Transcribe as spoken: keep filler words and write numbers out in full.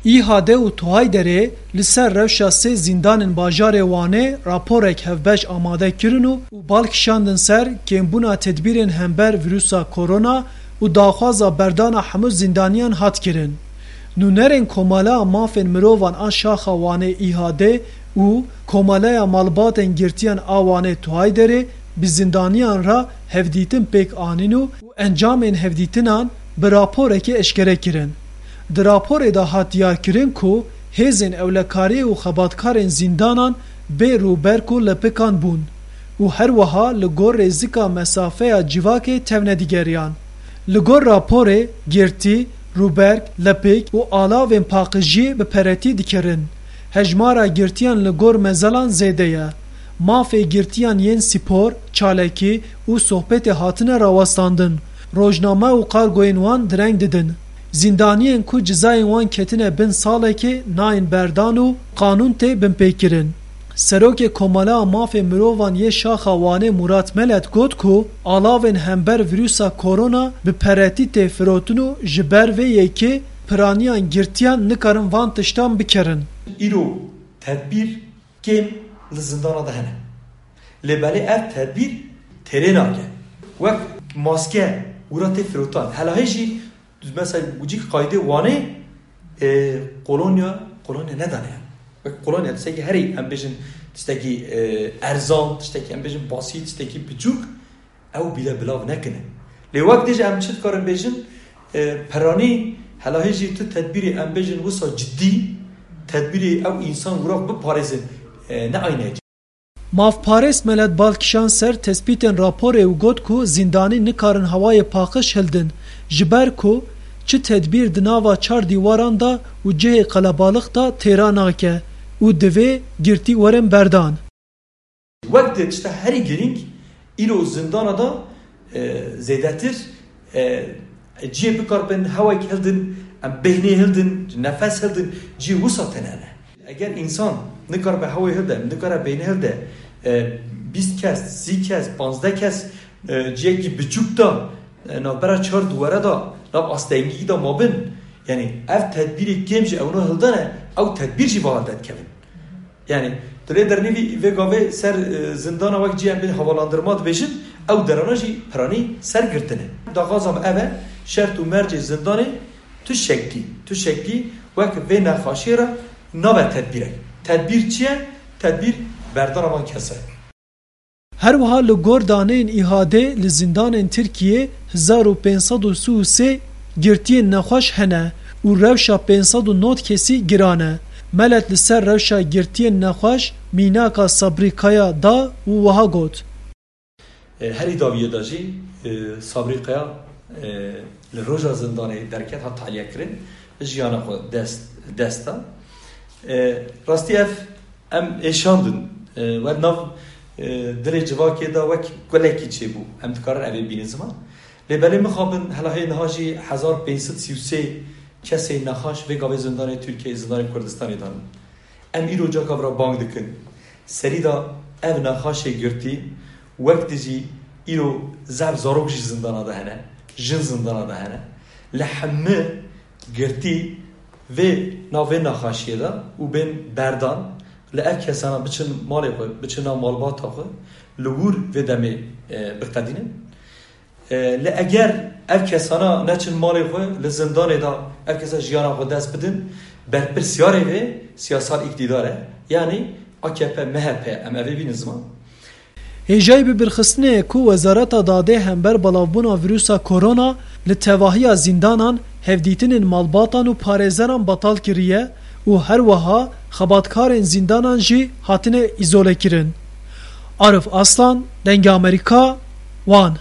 Îhade û Tuhayderê li ser rewşa sê zîndanên bajarê Wanê raporek hevbeş amade kirin û, û bal kişandin ser kêmbûna tedbîrên hember vîrusa korona û daxwaza berdana hemû zîndaniyan hat kirin. Nûnerên Komeleya Mafên Mirovan a Şaxa Wanê, Îhade, û Komeleya Malbatên Girtiyan a Wanê, Tuhayderê, bi zîndaniyan re hevdîtin pêk anîn û, û encamên hevdîtinan bi raporekê eşkere kirin. Di raporê de hat diyarkirin ku hêzên ewlekariyê û xebatkarên zîndanan bê rûberk û lepikan bûn û her wiha li gor rêzika mesafeya civakê tevne digeriyan. Li gor raporê, girtî, rûberk, lepik û alavên paqijiyê bi peretî dikirin. Hejmara girtiyan li gor mezelan zêde ye. Mafê girtiyan yên spor, çalakî û sohbetê hatine rawestandin. Rojname û kargoyên wan direng didin. Zîndaniyên ku cizayên wan ketine bin salekê nayên berdan û qanûn tê binpêkirin. Serokê Komeleya Mafê Mirovan yê Şaxa Wanê, Murat Melet, got ku alavên hember vîrusa korona bi peretî tê firotin û ji ber vê yekê piraniyan girtiyan nikarin van tiştan bikerin. Îro tedbîr kêm li zindana de hene. Lê belê ev tedbîr têrê nake. Wek maske wira tê firotan. Helahê jî, mesela, cîk qaydê Wanê, e, kolonya, kolonya nedane. Wek kolonya tiştekî herî, em bêjin, tiştekî, e, erzan, tiştekî, em bêjin, basî, tiştekî biçûk, ew bîle bilav nekine. Lê wek dê jî em çi dikarin bêjin, e, peranî, helahê jî tu tedbîrê, em bêjin, wisa cidî, tedbîrê ew însan wira biparêzin, e, ne ayne ye. Mafparêz Melet bal kişand ser tespîtên raporê û got ku zîndanî nikarin hewayê paqij hildin, ji ber ku çi tedbîr di nava çar dîwaran de û cihê qelebalix de têra nake û divê girtî werin berdan. Wek di tişta herî girîng, îro zindana de, e, zêdetir, e, cihê bikaribin hewayek hildin, em bêhnê hildin, nefes hildin, cihê wisa tune ne. Eger însan nikaribe hewayê hilde, nikare bêhnê hilde, e, bîst kes, sî kes, panzdeh kes, e, cihekî biçûk de, e, navbera çar duwere de, nav astengî de mabin, yanî ev tedbîrê kêm jî ewna hildane, ew tedbîr jî va hilde dikevin. Yanî, tu lê dernivî vê gavê ser, e, zindana wek cî em bê havalandırma dibêjin, ew derana jî piranî ser girtine. Daxwaza me ev e, şert û mercê zindanê tu şeklî, tu şeklî wek vê nexaşiyê re nabe tedbîrek. Tedbîr çi ye? Tedbîr berdana van kes e. Her wiha li gor daneyên Îhadê li zîndanên Tirkiyê hezar û pênc sed û sî û sê girtiyên nexweş hene û rewşa pênc sed û nod kesî giran e. Melet li ser rewşa girtiyên nexweş mînaka Sabrî Kaya da û wiha got. E, herî dawiyê de jî, e, Sabrî Kaya, e, li roja zindanê derket, hat tahliyekirin, jiyana xwe dest, dest da. E, rastî ev em êşandin, e, wer nav, e, dilê civakê de wek kulekî çêbû. Em dikarin evê bînin ziman. Lê belê mixabin, helahê niha jî hezar pênc sed sî û sê kesê nexaş vê gavê zindanê Tirkiyeyê, zindanê Kurdistanê de ne. Em îro caka vira bang dikin. Serî de ev nexaşê girtî wek dijî îro zehf zarok jî zindana de hene, jin zindana de hene. Li hemî girtî vê navê nexaşiyê de û bên berdan, li ev kesana biçin malê xwe, biçin nav malbata xwe, li wir vê demê, e, biqedînin. E, lê eger ev kesana neçin malê xwe, li zindanê de ev kesa jiyana xwe dest bidin, berpirsiyarê vê siyasal îktîdar e. Yanî A K P, M H P, em evê bînin ziman. Hêjayî bibirxistinê ye ku Wezareta Dadê hember belavbûna vîrusa korona li tevahiya zîndanan hevdîtinên malbatan û parêzeran betal kiriye û her wiha xebatkarên zîndanan jî hatine îzolekirin. Arif Aslan, Dengê Amerîka, Wan.